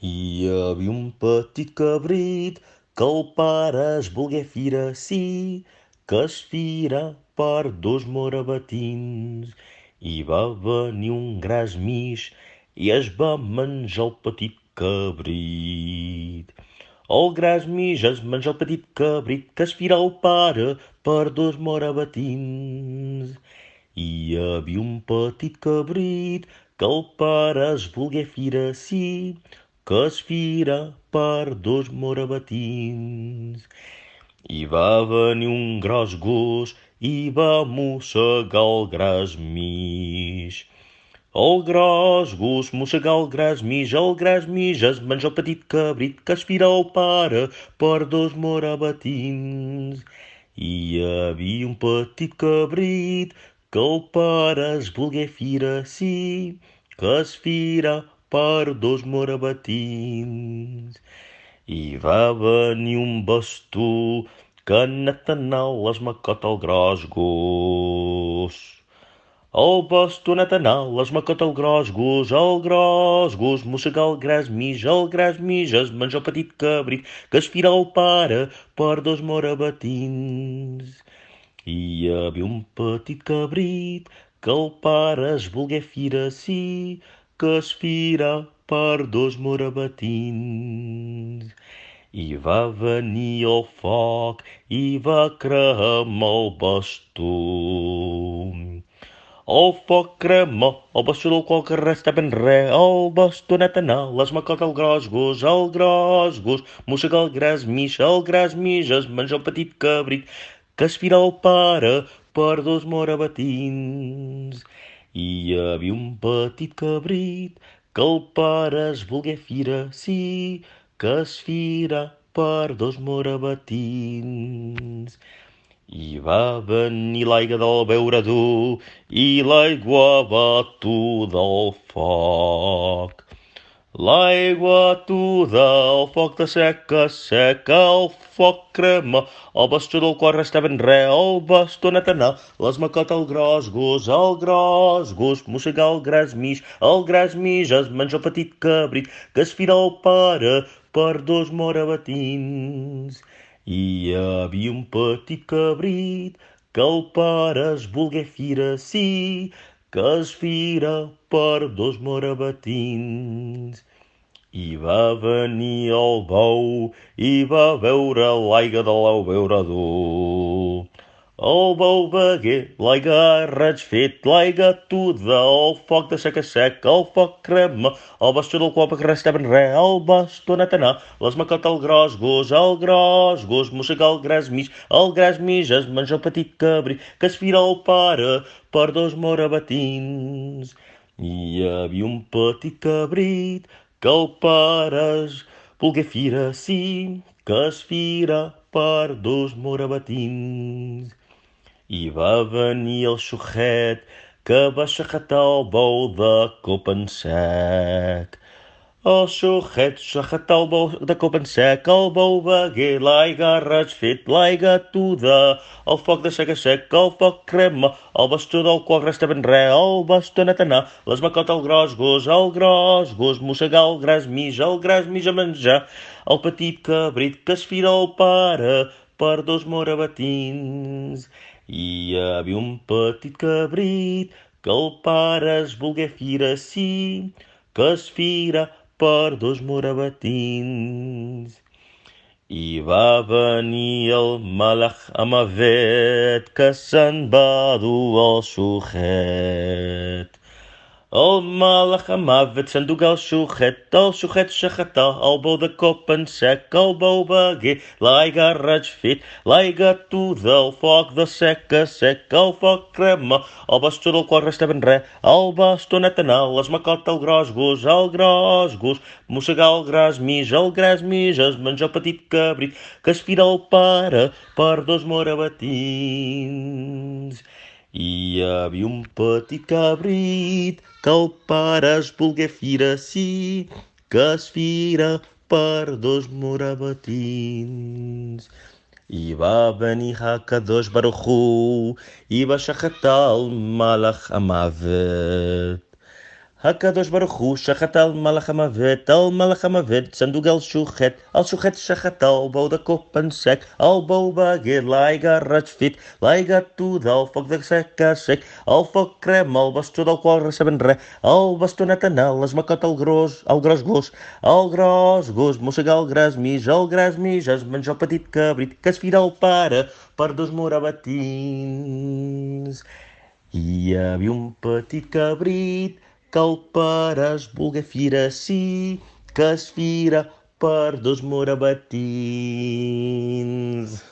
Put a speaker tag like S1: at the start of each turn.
S1: Hi havia un petit cabrit que el pare es volgué fira sí, que es fira per dos morabatins. I va venir un gras mig i es va menjar el petit cabrit. El gras mig es menja el petit cabrit que es fira el pare per dos morabatins. Hi havia un petit cabrit que el pare es volgué fira sí, que es fira per dos morabatins. I va venir un gros gos i va mossegar el gras mig. El gros gos mossegà el gras mig es menja el petit cabrit que es fira el pare per dos morabatins. Hi havia un petit cabrit que el pare es volgué fira sí, que es fira per dos morabatins. I va venir un bastó que ha anat a anar l'esmacot al gros gos. El bastonat anar, l'esmacot el gros gos, mossega el gras mig es menja el petit cabrit, que es fira el pare per dos morabatins. Hi havia un petit cabrit que el pare es volgué fira sí, que es fira per dos morabatins. I va venir el foc i va cremar el bastó. El foc crema, el bastó del qual que restava en re, el bastonet anar, l'esmacot el gros gos, mossega el gras mig es menja el petit cabrit, que es fira el pare per dos morabatins. Hi havia un petit cabrit que el pare es volgué fira, sí, que es fira per dos morabatins. I va venir l'aigua del beurador i l'aigua batuda al foc. L'aigua batuda al foc de seca, seca, el foc crema, el bastó del qual restava en re, el bastó anat a anar, l'esmacot el gros gos, mossega el gras mig es menja el petit cabrit, que es fira el pare per dos morabatins. Hi havia un petit cabrit que el pare es volgué fira sí, que es fira per dos morabatins. I va venir el bou i va beure l'aigua de l'abeurador. El bou begué l'aigua raig fet, l'aigua tuda, el foc de seca sec, el foc crema, el bastó del qual que restava en re, el bastó anat a anar, l'esmacot el gros gos, mossega el gras mig es menja el petit cabrit, que es fira el pare per dos morabatins. Hi havia un petit cabrit que el pare es volgué fira sí, que es fira per dos morabatins. I va venir el xuchet que va xajatar el bou de cop en sec. El xuchet xajatar el bou de cop en sec, el bou begué l'aigua raig fet, l'aigua tuda, el foc de sec a sec, el foc crema, el bastó del qual restava en re, el bastó anat a anar, l'esmacot el gros gos, mossega el gras mig a menjar, el petit cabrit que es fira el pare per dos morabatins. Hi havia un petit cabrit que el pare es volgué fira sí, que es fira per dos morabatins. I va venir el malach Amavet que se'n va dur el xuchet. El malach Amavet s'endugué el xuchet xaxatà, el bou de cop en sec, el bou begué, l'aigua raig fet, l'aigua tuda, el foc de sec a sec, el foc crema, el bastó del qual restava en re, el bastó anat a anar, l'esmacot el gros gos, mossega el gras mig es menja el petit cabrit, que es fira el pare per dos morabatins. Hi havia un petit cabrit que el pare es volgué fira sí, que es fira per dos morabatins. I va venir Hakadosh Baruch Hu i va xajatar el malach Amavet. הקדוש ברוך הוא שחט על מלאך המוות, s'endugué el xuchet שחט על bou de cop en sec, el bou begué l'aigua resfit, l'aigua tu del foc de sec a sec, el foc crema el bastó del qual receben res, el bastonet en el macot el gros gos mossega el gras mig es menja el petit cabrit que es fira el pare per 2 morabatins. Hi havia un petit cabrit que el pare es volgué fira sí, que es fira per 2 morabatins.